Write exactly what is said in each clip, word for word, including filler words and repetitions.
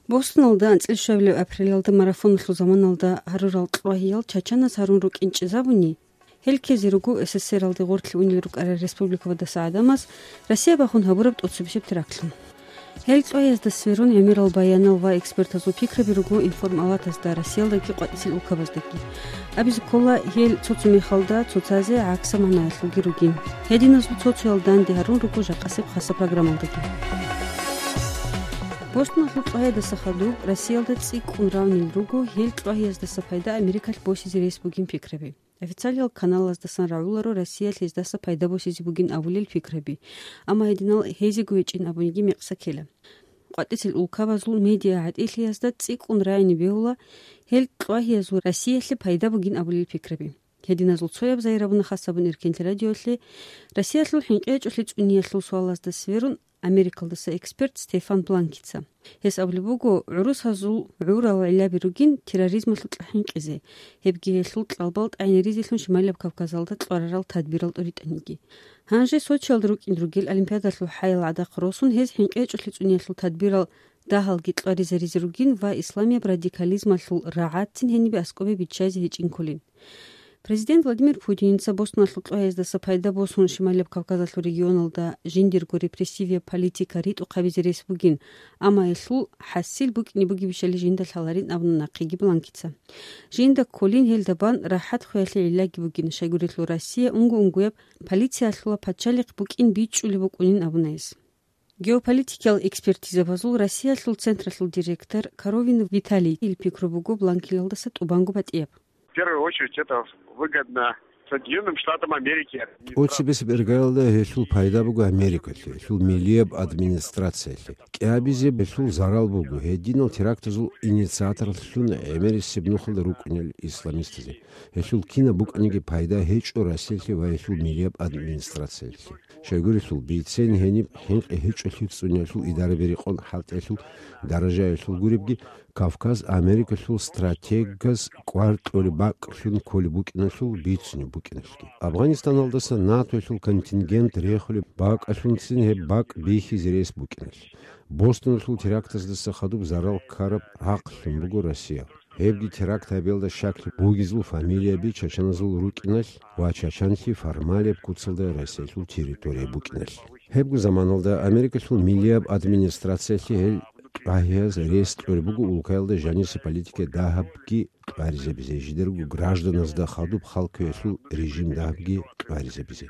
Бостоналда анцӀил щуабилеб апрелалда марафоналъул заманалда гьарурал кьвагьиял Чачанас гьарун рукӀин чӀезабуни, гьел ккезе руго СССР-алде гъорлъе унел рукӀарал республикабадаса гӀадамаз Россия бахун гьабураб тӀоцебесеб терактлъун. Гьел кьвагьиязда сверун гӀемерал баянал ва экспертазул пикраби руго информалатазда Россиялдаги къватӀисел улкабаздаги. Абизе ккола, гьел цо-цо мехалда цоцазе гӀаксаб магӀнаялъулги ругин. Гьединазул цо-цоял данде гьарун руго жакъасеб хасаб программалдаги. Бостоналъул кьвагьиядаса хадуб Россиялда цӀикӀкӀун равнил руго гьел кьвагьияздаса пайда Америкалъ босизе рес бугин пикраби. Официалиял каналаздасан рагӀуларо Россиялъ гьездаса пайда босизе бугин абулел пикраби, амма гьединал гьезего гьечӀин абуниги мекъса ккела. КъватӀисел улкабазул медиа гӀатӀилъиязда цӀикӀкӀун рагӀине бегьула гьел кьвагьиязул Россиялъе пайда бугин абулел пикраби. Гьединазул цояб зайрабуна хасабун Иркенлъи радиолъе Россиялъул хӀинкъи гьечӀолъи цӀуниялъул суалазда сверун Америкалдаса эксперт Стефан Бланкица. Гьес абулеб буго, гӀурусазул гӀурал гӀиллаби ругин терроризмалъукьа хӀинкъизе, гьебги гьелъул кьалбал тӀагӀинаризелъун Шималаб Кавказалда кьварарал тадбирал тӀуритӀаниги. Гьанже Сочиялда рукӀин ругел Олимпиадалъул хӀаял гӀадахъ росун, гьез хӀинкъи гьечӀолъи цӀуниялъул тадбирал дагьалги кьваризаризе ругин ва исламияб радикализмалъул рагӀацин гьенибе аскӀобе биччазе гьечӀинккулин. Президент Владимир Путинца Бостоналъул кьвагьиздаса пайда босун Шималияб Кавказалъул регионалда жиндирго репрессивияб политика ритӀухъабизе рес бугин, амма гьелъул хӀасил букӀине бугебищали жинда лъаларин абуна нахъеги Бланкица. Жинда кколин гьелда бан рахӀат хвеялъе гӀиллаги бугин, щайгурелъул Россия унго-унгояб полициялъула пачалихъ букӀин бичӀчӀулеб букӀунин абуна гьес. Геополитикиял экспертизабазул Россиялъул централъул директор Коровин Виталий ил пикру буго Бланкилалдаса тӀубанго батӀияб. В первую очередь это выгодно Соединённым Штатам Америки. ТӀоцебесеб иргаялда гьелъул пайда буго Америкалъе, гьелъул милияб администрациялъе. КӀиабизе гьелъул зарал буго гьединал терактазул инициаторлъун гӀемерисеб нухалда рукӀунел исламистазе. Гьелъул кинаб букӀаниги пайда гьечӀо Россиялъе ва гьелъул милияб администрациялъе. Щайгурелъул, бицен гьениб хӀинкъи гьечӀолъи цӀуниялъул идараби рекъон хӀалтӀиялъул даражаялъул гуребги, Кавказ Америкалъул стратегаз кӀвар кьолеб бакӀлъун кколеб букӀиналъул бицунеб букӀиналъги. Афганистаналдаса НАТОялъул контингент рехулеб бакӀалъунцин гьеб бакӀ бихьизе рес букӀиналъ. Бостоналъул терактаздаса хадуб зарал ккараб рахълъун буго Россия. Гьебги теракт гьабиялда щаклъи бугезул фамилияби чачаназул рукӀиналъ ва чачанлъи формалияб куцалда Россиялъул территория букӀиналъ. Гьебго заманалда Америкалъул милияб администрациялъе гьел кьвагьияз рес кьолеб буго улкаялда жаниса политика дагьабги кьваризабизе, жидерго гражданазда хадуб халкуялъул режим дагьабги кьваризабизе,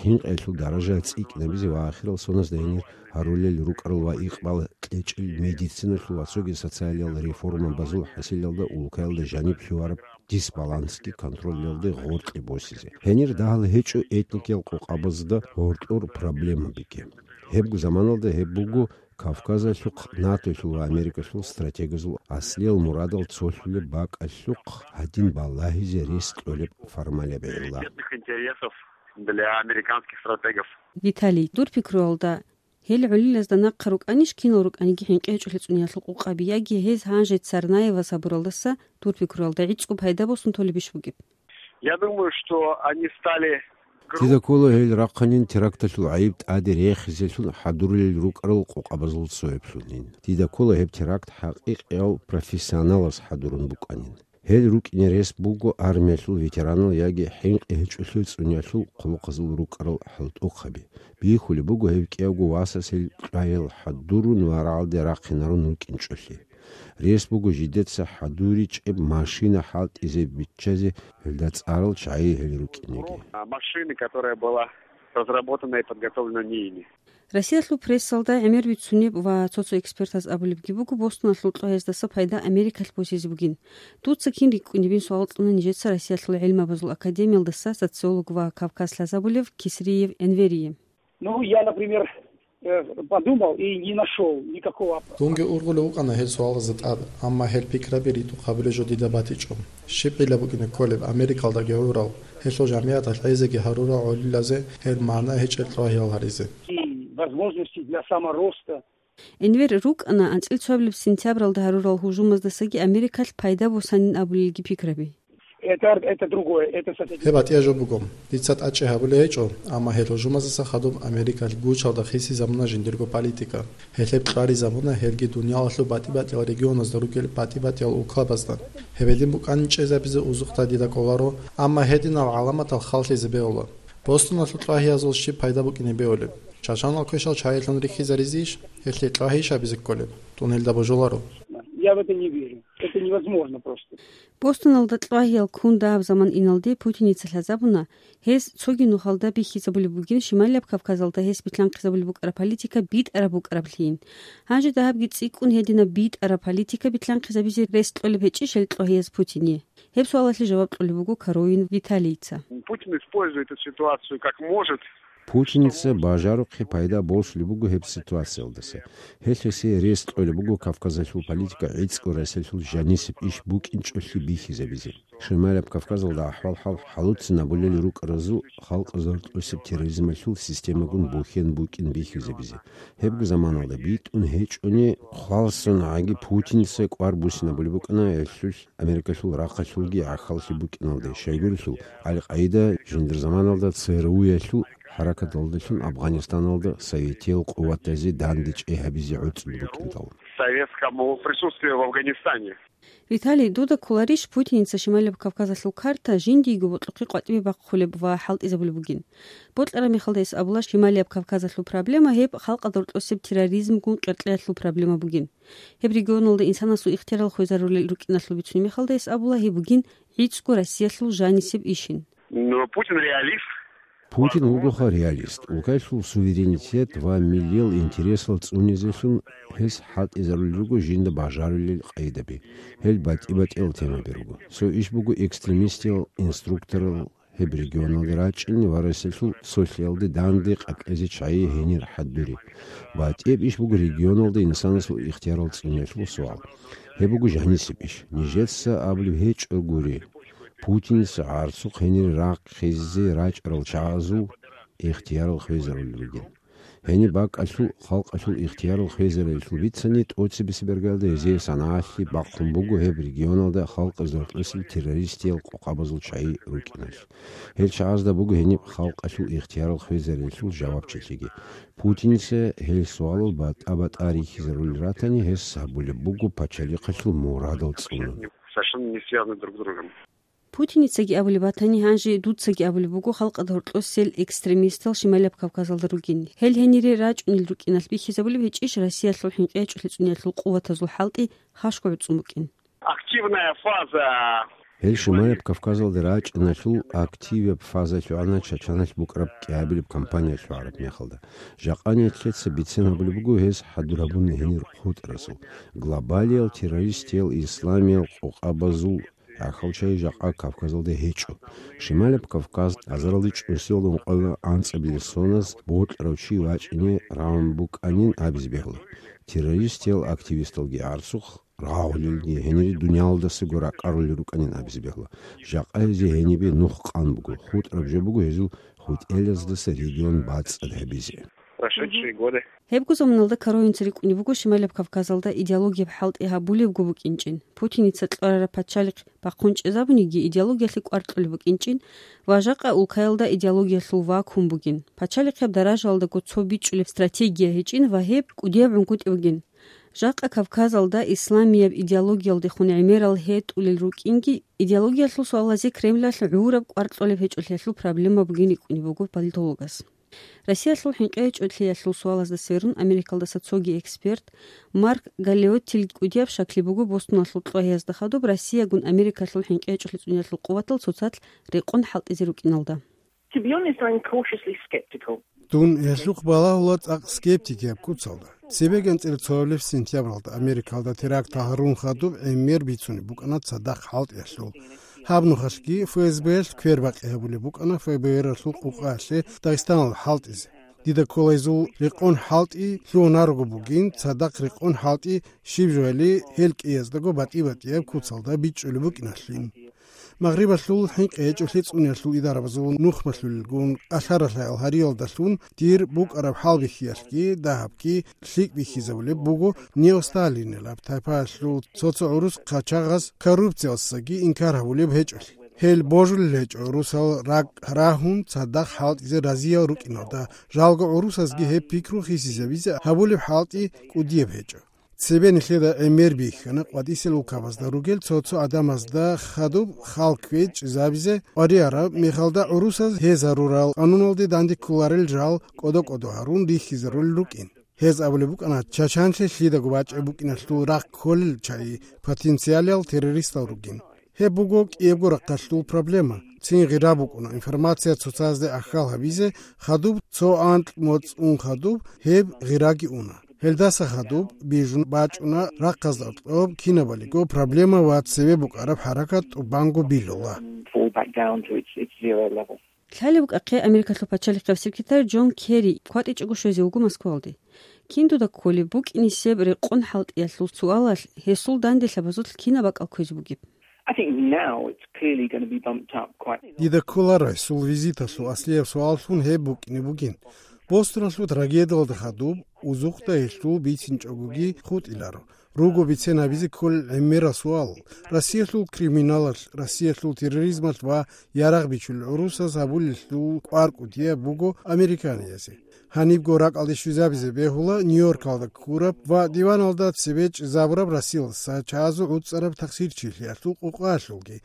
хӀинкъиялъул даража цӀикӀкӀинабизе ва ахирал соназда гьенир гьарулел рукӀарал ва икъбал кьечӀел медициналъул ва цоги социалиял реформабазул хӀасилалда улкаялда жаниб лъугьараб дисбалансги контролялде гъоркье босизе. Гьенир дагьал гьечӀо этникиял къокъабазда гьоркьор проблемабиги. Гьебго заманалда гьеб буго Кавказалъухъ НАТОялъул ва Америкалъул стратегазул аслиял мурадал цолъулеб бакӀалъухъ гьадин балагьизе рес кьолеб формалияб гӀилла. Бедных интересов для американских стратегов. Виталий, дур пикруялда, гьел гӀолилазда нахъа рукӀанищ, кинал рукӀаниги хӀинкъи гьечӀолъи цӀуниялъул къокъаби, яги гьез гьанже Царнаевас гьабуралдаса, дур пикруялда, гӀицӀго пайда босун толебищ бугеб? Я думаю, что они стали груб- Дида ккола гьел рахъанин теракталъул гӀайиб тӀаде рехизелъун хӀадурулел рукӀарал къокъабазул цояблъунин. Дида ккола гьеб теракт хӀакъикъияв профессионалас хӀадурун букӀанин. Гьел рукӀине рес буго армиялъул ветеранал яги хӀинкъи гьечӀолъи цӀуниялъул хъулухъазул рукӀарал хӀалтӀухъаби. Бихьулеб буго гьев кӀиявго васас гьел кьвагьиял хӀадурун ва рагӀалде рахъинарун рукӀинчӀолъи. Рес буго жидеца хӀадуричӀеб машина хӀалтӀизе биччазе гьелда цӀарал чагӀи гьел рукӀинеги. А, машины, которая была разработана и подготовлена не ими. Россиялъул прессалда гӀемер бицунеб ва цо-цо экспертаз абулебги буго, Бостоналъул кьвагьиздаса пайда Америкалъ босизе бугин. Дуца кин рикӀкӀунебин суал кьуна нижеца Россиялъул гӀелмабазул академиялдаса социолог ва Кавказ лъазабулев Кисриев Энверие. Ну, я, например, э, подумал и не нашёл никакого оп- Дунги ургъулев вукӀана гьел суалазда тӀад, амма гьел пикраби ритӀухъабулеб жо дида батичӀо. Щиб гӀилла букӀине кколеб Америкалдаги гӀурал, гьелъул жамигӀаталъ гӀезеги гьарурал гӀолилазе гьел магӀна гьечӀел кьвагьиял гьаризе? И возможности для самороста. Энвер рукӀана анцӀил цоабилеб сентябралда гьарурал гьужумаздасаги Америкалъ пайда босанин абулелги пикраби. Это, это другое, это с этой Гьеб батӀияб жо буго. Дица тӀадчӀи гьабулеб гьечӀо, амма гьел гьужумаздаса хадуб Америкалъ гучалда хисизабуна жиндирго политика. Гьелъ гьеб кьваризабуна, гьелги дуниялалъул батӀи-батӀиял регионазда ругел батӀи-батӀиял улкабазда. Гьеб гьедин букӀанин чӀезабизе узухъ дида кӀоларо, амма гьединал гӀаламатал халлъизе бегьула. Бостоналъул кьвагьиязул щиб пайда букӀине бегьулеб? Чачанал квешал чагӀилъун рихьизаризейищ? Гьелъие кьвагьиябищ гьабизе кколеб? Тунелда божуларо. Я в это не верю. Это невозможно просто. Бостоналда кьвагьиял ккун дагьаб заман иналде Путиница лъазабуна, гьес цоги нухалда бихьизабулеб бугин Шималияб Кавказалда гьес билълъанхъизабулеб букӀараб политика битӀараб букӀараблъийин. Гьанже дагьабги цӀикӀкӀун гьединаб битӀараб политика билълъанхъизабизе рес кьолеб гьечӀищ гьел кьвагьияз Путине? Гьеб суалалъе жаваб кьолеб буго Коровин Виталийица. Путин использует эту ситуацию как может. Путиница бажарухъе пайда босулеб буго гьеб ситуациялдаса. Гьелъ гьесие рес кьолеб буго Кавказалъул политика гӀицӀго Россиялъул жанисеб иш букӀинчӀолъи бихьизабизе. Шималаб Кавказалда ахӀвал-хӀал хӀалуцинабулел рукӀаразул халкъазул тӀосеб терроризмалъул системагун бухьен букӀин бихьизабизе. Гьебго заманалда битӀун гьечӀони хвалсун гӀаги Путиница кӀвар буссинабулеб букӀана гьелъул Америкалъул рахъалъулги гӀахьаллъи букӀиналде, щайгурелъул, Аль-Къаида жиндир заманалда ЦРУ-ялъул хӀаракаталдалъун Афганистаналда советиял къуватазе данде чӀей гьабизе гӀуцӀун букӀиндал. Советскому присутствию в Афганистане. Виталий, дуда кколарищ Путиница Шималияб Кавказалъул карта жиндиего бокьухъе къватӀибе бахъулеб ва хӀалтӀизабулеб бугин? Бокьараб мехалда гьес абула, Шималияб Кавказалъул проблема гьеб халкъалда гьоркьосеб терроризмгун къеркьеялъул проблема бугин. Гьеб регионалда инсанасул ихтиярал хвезарулел рукӀиналъул бицунеб мехалда гьес абула, гьеб бугин гӀицӀго Россиялъул жанисеб ишин. Но Путин реалист. Путин вугоха реалист. Улкаялъул суверенитет ва миллиял интересал цӀунизелъун гьес хӀалтӀизарулел руго жинда бажарулел къайдаби. Гьел батӀи-батӀиял темаби руго. Цо иш буго экстремистиял инструкторал гьеб регионалде рачӀине ва Россиялъул сулъиялде данде къеркьезе чагӀи гьенир хӀадури. БатӀияб иш буго регионалда инсанасул ихтиярал цӀуниялъул суал. Гьеб буго жанисеб иш. Нижеца абулеб гьечӀо гури, Путиница гӀарцухъ гьенире рахъизе рачӀарал чагӀазул ихтиярал хвезарулел ругин. Гьениб бакӀалъул халкъалъул ихтиярал хвезариялъул бицани, тӀоцебесеб иргаялда гьезие санагӀалъи бахъун буго гьеб регионалда халкъазул тӀосил террористиял къокъабазул чагӀи рукӀиналъ. Гьел чагӀазда буго гьениб халкъалъул ихтиярал хвезариялъул жавабчилъиги. Путиница гьел суалал батӀа-батӀа рихьизарулел ратани, гьес гьабулеб буго пачалихъалъул мурадал цӀунун. Совершенно не связаны друг с другом. Путиницаги абулеб батани, гьанже дуцаги абулеб буго халкъалда гьоркьосел экстремистал Шималияб Кавказалда ругин. Гьел гьенире рачӀунел рукӀиналъ бихьизабулеб гьечӀищ Россиялъул хӀинкъи гьечӀолъи цӀуниялъул къуватазул хӀалтӀи хашго гӀуцӀун букӀин? Активная фаза. Гьел Шималияб Кавказалда рачӀиналъул активияб фаза лъугӀана Чачаналъ букӀараб кӀиабилеб кампания лъугӀараб мехалда. Жакъа нилъеца бицен гьабулеб буго гьес хӀадур гьабуна гьенир хутӀразул. Глобалиял террористиял исламиял къокъабазул гӀахьалчагӀи жакъа Кавказалда гьечӀо. Шималаб Кавказ азаралде чӀусиялда ункъоялда анцӀабилеб соназ бокьарав чи вачӀине равун букӀанин абизе бегьула. Террористиял активисталги гӀарцухъ рагъулелги гьенире дуниялалдасаго ракӀарулел рукӀанин абизе бегьула. Жакъа гьезие гьенибе нух къан буго, хутӀараб жо буго гьезул хутӀелаздаса регион бацӀцӀад гьабизе. Прошедшие годы. Гьебго заманалда Коровинца рикӀкӀунеб буго Шималаб Кавказалда идеологияб хӀалтӀи гьабулебго букӀинчӀин. Путиница кьварараб пачалихъ бахъун чӀезабуниги идеологиялъе кӀвар кьолеб букӀинчӀин ва жакъа улкаялда идеологиялъул вакуум бугин. Пачалихъияб даражаялдаго цо бичӀчӀулеб стратегия гьечӀин ва гьеб кӀудияб гӀунгутӀи бугин. Жакъа Кавказалда исламияб идеологиялдехун гӀемерал гьетӀулел рукӀинги, идеологиялъул суалазе Кремлалъ гӀураб кӀвар кьолеб гьечӀолъиялъул проблема бугин рикӀкӀунеб буго политологас. Россиялъул хӀинкъи гьечӀолъиялъул суалазда сверун Америкалдаса цоги эксперт Марк Галеоттил кӀудияб щаклъи буго Бостоналъул кьвагьиязда хадуб Россиягун Америкалъул хӀинкъи гьечӀолъи цӀуниялъул къуватал цоцалъ рекъон хӀалтӀизе рукӀиналда. To be honest, I'm cautiously skeptical. Дун гьелъухъ балагьула цӀакъ скептикияб куцалда. Цебе гьанцӀила цо гьабилеб сентябралда Америкалда теракт гьарун хадуб гӀемер бицунеб букӀана цадахъ хӀалтӀиялъул. Гьаб нухалъги ФСБ-ялъ квербакъи гьабулеб букӀана ФБР-алъул къукъаялъе Дагъистаналда хӀалтӀизе. Дида ккола гьезул рекъон хӀалтӀи лъугьунарого бугин, цадахъ рекъон хӀалтӀи щиб жояли гьел кӀияздаго батӀи-батӀияб куцалда бичӀчӀулеб букӀиналъин. Магърибалъул хӀинкъи гьечӀолъи цӀуниялъул идарабазул нухмалъулелгун, кӀалъа-ралъайал гьариялдалъун дир букӀараб хӀалбихьиялъги дагьабги лъикӀ бихьизабулеб буго неосталинилаб тайпаялъул цо-цо гӀурус хъачагъаз коррупциялдасаги инкар гьабулеб гьечӀолъи. Гьел божулел гьечӀо русал ракӀ рагьун цадахъ хӀалтӀизе разиял рукӀиналда, жалго гӀурусазги гьеб пикру хисизабизе гьабулеб хӀалтӀи кӀудияб гьечӀо. Цебе нилъеда гӀемер бихьана къватӀисел улкабазда ругел цо-цо гӀадамазда хадуб хал кквечӀезабизе къвариараб мехалда гӀурусаз гьез гьарурал къануналде данде кколарел жал кӀодо-кӀодо гьарун рихьизарулел рукӀин. Гьез абулеб букӀана, Чачанлъи лъидаго бачӀеб букӀиналъул рахъ кколел чагӀи потенциалиял террористал ругин. Гьеб буго кӀиябго рахъалъул проблема. Цин гъира букӀуна информация цоцазде ахьал гьабизе, хадуб цо анкь моцӀ ун хадуб гьеб гъираги уна. Гьелдаса хадуб бижун бачӀуна рахъазда кьоб кинабалиго проблема ва цеве букӀараб хӀаракат тӀубанго билула. Лъалеб букӀахъе Америкалъул пачалихъеб секретарь Джон Керри кватӀичӀого щвезе вуго Москвалде. Кин дуда кколеб, букӀинисеб рекъон хӀалтӀиялъул суалалъ гьесул данделъабазулъ кинаб бакӀал кквезе бугеб? I think now it's clearly going to be bumped up quite. Дида кколаро гьесул визиталъул аслияб суаллъун гьеб букӀине бугин. Бостоналъул трагедиялда хадуб узухъда гьелъул бицинчӀогоги хутӀиларо. Руго бицен гьабизе кколел гӀемерал суал. Россиялъул криминалалъ, Россиялъул терроризмалъ ва ярагъ бичулел гӀурусаз гьабулелъул кӀвар кӀудияб буго американиязде. Гьанибго ракӀалде щвезабизе бегьула Нью-Йоркалда ккураб ва диваналда цебе чӀезабураб Расилас чагӀазул гӀуцӀараб тахсирчилъиялъул къукъаялъулги.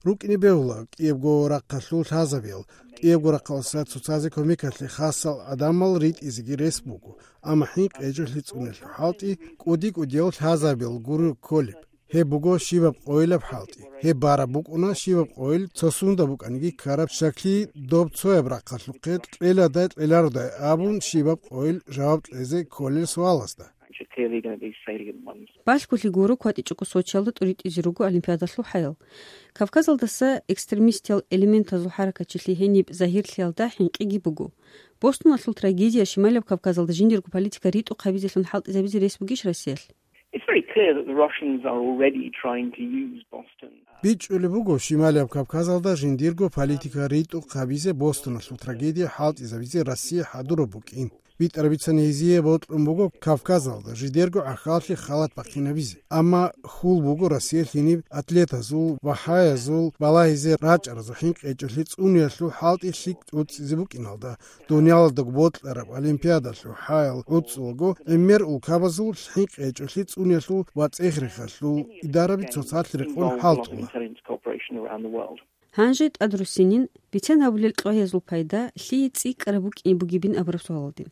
РукӀине бегьула кӀиябго рахъалъул лъазабиял, кӀиябго рахъалъуса цоцазе кумекалъе хасал гӀадамал ритӀизеги рес буго, амма хӀинкъи гьечӀолъи цӀуниялъул хӀалтӀи кӀуди-кӀудиял лъазабиял гуро кколеб. Гьеб буго щибаб къойилаб хӀалтӀи. Гьеб бараб букӀуна щибаб къойил цо сунда букӀаниги ккараб щаклъи доб цояб рахъалъухъе кьеладай кьелародай абун щибаб къойил жаваб кьезе кколел суалазда. Which are clearly going to be salient ones. Балъголъи гуро кватӀичӀого Сочиялда тӀуритӀизе руго Олимпиадалъул хӀаял. Кавказалдаса экстремистиял элементазул хӀаракатчилъи гьениб загьирлъиялда хӀинкъиги буго. Бостоналъул трагедия Шималаб Кавказалда жиндирго политика ритӀухъ гьабизелъун хӀалтӀизабизе рес бугищ Россиялъ? It's very clear that the Russians are already trying to use Boston. БичӀчӀулеб буго, Шималияб Кавказалда жиндирго политика ритӀухъ гьабизе Бостоналъул трагедия хӀалтӀизабизе Россия хӀадураб букӀин. БитӀарабицани гьезие бокьун буго Кавказалда жидерго гӀахьаллъи халат бахъинабизе. Амма хьул буго Россиялъ гьениб атлетазул, вахӀаязул балагьизе рачӀаразул хӀинкъи гьечӀолъи цӀуниялъул хӀалтӀи лъикӀ тӀуцӀизе букӀиналда, дунялалдаго бокьараб Олимпиадалъул хӀаял гӀуцӀулаго гӀемер улкабазул хӀинкъи гьечӀолъи цӀуниялъул ва цӀех-рехалъул идараби цоцалъ рекъон хӀалтӀула. Гьанже тӀадруссинин, бицен гьабулел кьвагьиязул пайда лъие цӀикӀкӀараб букӀине бугебин абураб суалалде.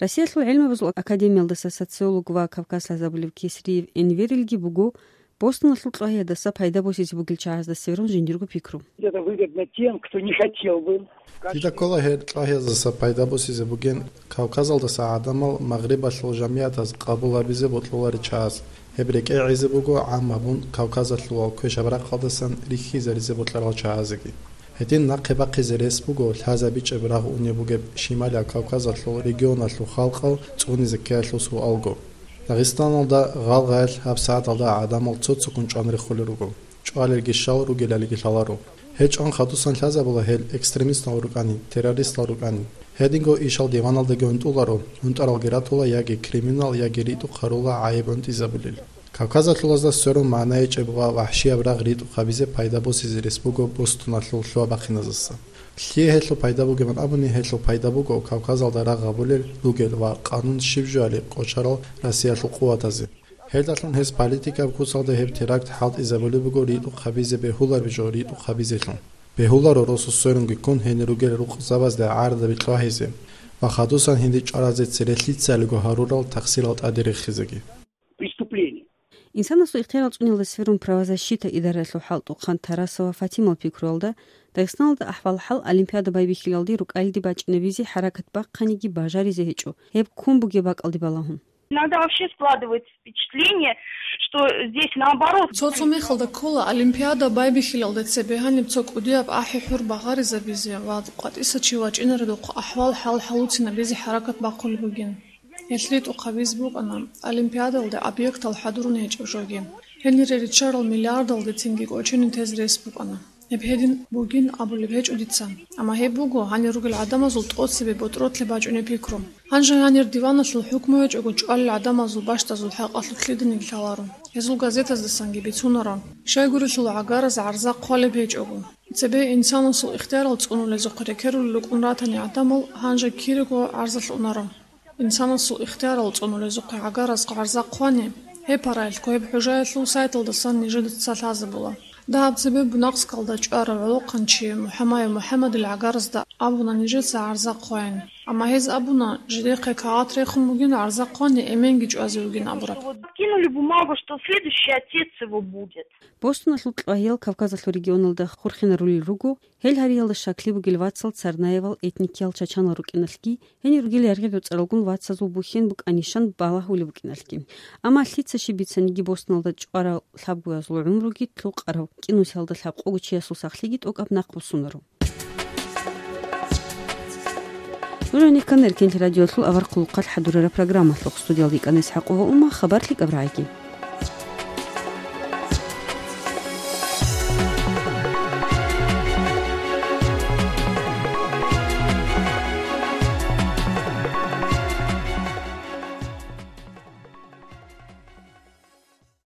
Россиялъул гӀелмабазул академиялдаса социолог ва Кавказ лъазабулев Кесриев Энверилги буго Бостоналъул кьвагьиядаса пайда босизе бугел чагӀазда сверун жиндирго пикру. Это выгодно тем, кто не хотел бы. Дида ккола гьеб кьвагьиязаса пайда босизе бугин Кавказалдаса гӀадамал Магърибалъул жамигӀатаз къабул гьабизе бокьуларел чагӀаз. Гьеб рекӀее гӀезе буго гӀам гьабун Кавказалъувал квешаб рахъалдасан рихьизаризе бокьарал чагӀазеги. Гьедин нахъе бахъизе рес буго лъазабичӀеб рагъ унеб бугеб Шималияб Кавказалъул регионалъул халкъал цӀунизе ккеялъул суалго. Дагъистаналда гъалгъаялъ гьабсагӀаталда гӀадамал цо-цоккун чӀван рехулел руго. ЧӀвалелги щал, ругелалиги лъаларо. Гьел чӀван хадусан лъазабула гьел экстремистал рукӀани, террористал рукӀани. Гьединго ишал диваналдаги гьунтӀуларо, гьунтӀаралги ратула яги криминал, яги ритӀухъ гьарула гӀайиб гьунтӀизабулел. Кавказалъулазда сверун магӀна гьечӀеб ва вахӀшияб рагъ ритӀухъ гьабизе пайда босизе рес буго Бостоналъул лъугьа-бахъиназаса. Лъие гьелъул пайда бугебан абуни, гьелъул пайда буго Кавказалда рагъ гьабулел ругел ва къанун щиб жояли къочарал Россиялъул къуватазе. Гьелдалъун гьес политикаб куцалда гьеб теракт хӀалтӀизабулеб буго ритӀухъ гьабизе бегьулареб жо ритӀухъ гьабизелъун. Бегьуларо росу сверунги ккун гьенир ругел рукъзабазда гӀарадаби кьвагьизе ва хадусан гьенде чӀваразе цере лъицалиго гьарурал тахсирал тӀаде рехизеги. Преступление. Инсанасул ихтиярал цӀуниялда сверун правозащита идараялъул хӀалтӀухъан Тарасова Фатимал пикруялда, Дагъистаналда ахӀвал-хӀал Олимпиада байбихьилалде рукӀалиде бачӀинабизе хӀаракат бахъаниги бажаризе гьечӀо, гьеб ккун бугеб бакӀалде балагьун. Иногда вообще складывается впечатление, что здесь наоборот. Цо-цо мехалда ккола Олимпиада байбихьилалде цебе гьаниб цо кӀудияб ахӀи-хӀур багъаризабизе ва къватӀиса чи вачӀинаредухъ ахӀвал-хӀал хӀалуцинабизе хӀаракат бахъулеб бугин. Гьелъ ритӀухъ гьабизе букӀана Олимпиадалде объектал хӀадурун гьечӀеб жоги. Гьенире риччарал миллиардалдецинги кӀочене тезе рес букӀана. Гьеб гьедин бугин абулеб гьечӀо дица. Амма гьеб буго гьанир ругел гӀадамазул тӀоцебе ботӀротлъи бачӀунеб пикру. Гьанже гьанир диваналъул хӀукму гьечӀого чӀвалел гӀадамазул бащдазул хӀакъалъулъ лъиданиги лъаларо. Гьезул газетаздасанги бицунаро. Щайгурелъул гӀагараз гӀарза хъвалеб гьечӀого. Цебе инсанасул ихтиярал цӀунулезухъе рекерулел рукӀун ратани гӀадамал гьанже кирего гӀарзалъ унаро. Инсанасул ихтиярал цӀунулезухъе гӀагараз гӀарза хъвани, гьеб параялъго гьеб хӀужаялъул сайталдасан нижеда цалъазабула. Дагьаб цебе Бунакскалда чӀварав гӀолохъанчи МухӀамаев МухӀамадил гӀагаразда абуна нижеца гӀарза хъвайин. Амма гьез абуна, жидехъе кагъат рехун бугин гӀарза хъвани эменги чӀвазе вугин абураб. Вот кинули бумагу, что следующий отец его будет. Бостоналъул кьвагьиял Кавказалъул регионалда хурхинарулел руго, гьел гьариялда щаклъи бугел вацал Царнаевал этникиял чачанал рукӀиналъги, гьенир ругел яргъи-доцӀаралгун вацазул бухьен букӀанищан балагьулеб букӀиналъги. Амма лъица щиб бицаниги, Бостоналда чӀварал лъабгоязул гӀумруги лъукъарав, кӀинусиялда лъабкъого чиясул сахлъиги тӀокӀаб нахъ бусунаро. Нуж гьанир ккана Эркенлъи радиолъул авар хъулухъалъ хӀадурараб программалъухъ. Студиялда йикӀана ИсхӀакъова Ума, хабар лъикӀаб рагӀиги.